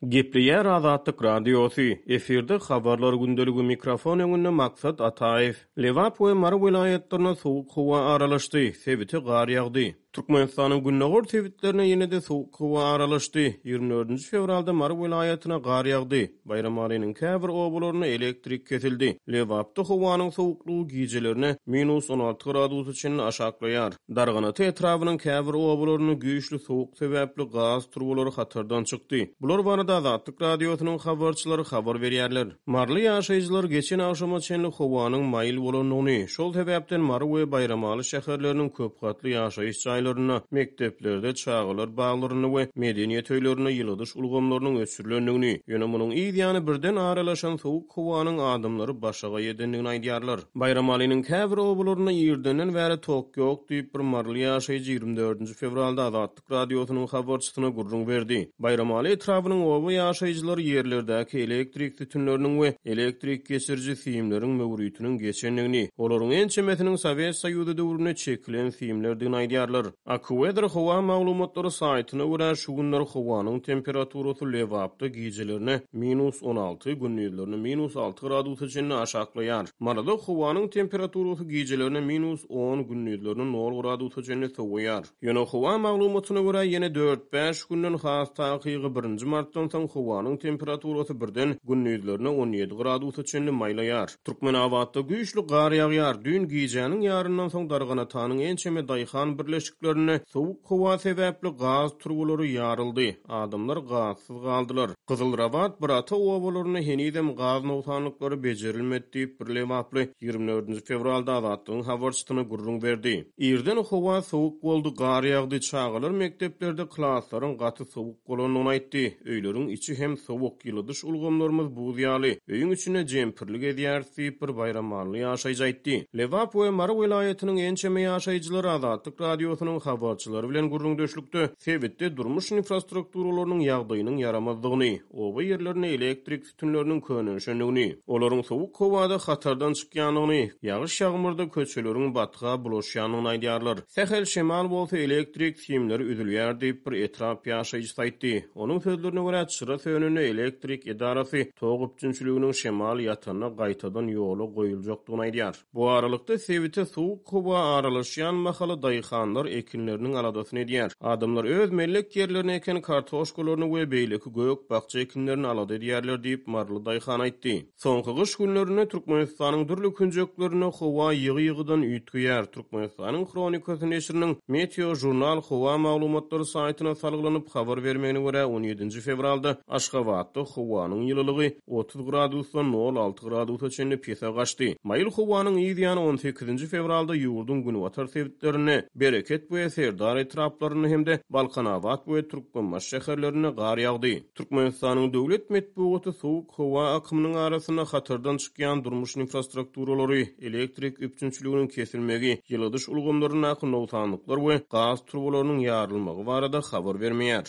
Gepleýär Azatlyk Radiosy, efirde Habarlar gündeligi mikrofon öňünde Maksat Ataýew. Lebap we Mary welaýatlaryna sowuk howa aralaşdy, sebite gar ýagdy. Türkmenistanyň gündogar sebitlerine ýene-de sowuk howa aralaşdy. Ýigrimi dördünji fewralda Mary welaýatyna gar ýagdy. Baýramalynyň käbir obalarynda elektrik kesildi. Lebapda howanyň sowuklygy gijelerine minus 16 gradusa çenli aşaklaýar. Darganata etrabynyň käbir obalarynda güýçli sowuk sebäpli gaz turbalary hatardan çykdy. Bular barada Azatlyk Radiosynyň habarçylary habar berýärler. Maryly ýaşaýjylar geçen agşama çenli howanyň maýyl bolandygyny, şol sebäpden Mary we Baýramaly şäherleriniň köpgatly ýaşaýyş jaýlarynda, mekdeplerde, çagalar baglarynda we medeniýet öýlerinde ýyladyş ulgamlarynyň öçürilendigini, ýöne munuň yz ýany birden aralaşan sowuk howanyň adamlary başagaý edendigini aýdýarlar. Baýramalynyň käbir obalarynda irdenden bäri tok ýok diýip, bir maryly ýaşaýjy 24 fewralda Azatlyk Radiosynyň habarçysyna gürrüň berdi. Baýramaly etrabynyň oba ýaşaýjylary ýerlerdäki elektrik sütünleriniň we elektrik geçiriji simleriň möwritiniň geçendigini, olaryň ençemesiniň Sowet Soýuzy döwründe çekilen simlerdigini aýdýarlar. AccuWeather howa maglumatlary saýtyna görä, şu günler howanyň temperaturasy Lebapda gijelerine minus 16, gündizlerine minus 6 gradusa çenli aşaklaýar. Maryda howanyň temperaturasy gijelerine minus on, gündizlerine nol gradusa çenli sowaýar. Ýöne howa maglumatyna görä, ýene dört-bäş günden, has takygy birinji martdan soň howanyň temperaturasy birden gündizlerine 17 gradusa çenli maýlaýar. Türkmenabatda güýçli gar ýagýar. Düýn gijäniň ýaryndan soň Darganatanyň ençeme daýhan birleşiklerinde sowuk howa sebäpli gaz turbalary ýaryldy. Adamlar gazsyz galdylar. Gyzylrabat, Birata obalarynda henizem gaz nogsanlyklary bejerilmedi diýip, bir lebaply 24 nji fewralda Azatlygyň habarçysyna gürrüň berdi. Irden howa sowuk boldy, gar ýagdy, çagalar mekdeplerde klaslaryň gaty sowuk bolandygyny aýtdy. Öýleriň içi hem sowuk, ýyladyş ulgamlarymyz buz ýaly. Öýüň içinde jempirli gezýäris diýip, bir baýramally ýaşaýjy aýtdy. Lebap we Mary welaýatynyň ençeme ýaşaýjylary Azatlyk Radiosynyň habarçylary bilen gürrüňdeşlikde sebitde durmuş infrastrukturalarynyň ýagdaýynyň ýaramazdygyny, oba ýerlerinde elektrik sütünleriniň könelişendigini, olaryň sowuk howada hatardan çykýandygyny, ýagyş-ýagmyrda köçeleriň batga bulaşýandygyny aýdýarlar. Sähel şemal bolsa elektrik simleri üzülýär diýip, bir etrap ýaşaýjysy aýtdy. Onuň sözlerine görä, çyra sönende elektrik edarasy tok üpjünçiliginiň şemal ýatanda gaýtadan ýola goýuljakdygyny aýdýar. Bu aralykda, sebite sowuk howa aralaşýan mahaly daýhanlar ekinleriniň aladasyny edýär. Adamlar öz mellek ýerlerine eken kartoşkalaryny we beýleki gök-bakja ekinlerini alada edýärler diýip, maryly daýhan aýtdy. Soňky gyş günlerinde Türkmenistanyň dürli künjeklerinde howa ýygy-ýygydan üýtgeýär. Türkmenistanyň Hronikasy neşiriniň Meteožurnal howa maglumatlary saýtyna salgylanyp habar bermegine görä, on ýedinji fewralda Aşgabatda howanyň ýylylygy 30 gradusdan nol alty gradusa çenli pese gaçdy. Maýyl howanyň yz ýany on sekizinji fewralda ýurduň günbatar sebitlerinde, Bereket we Serdar etraplarynda hem-de Balkanabat we Türkmenbaşy şäherlerinde gar ýagdy. Türkmenistanyň döwlet metbugaty sowuk howa akymynyň arasynda hatardan çykýan durmuş infrastrukturalary, elektrik üpjünçiliginiň kesilmegi, ýyladyş ulgamlaryndaky nogsanlyklar we gaz turbalarynyň ýarylmagy barada habar bermeýär.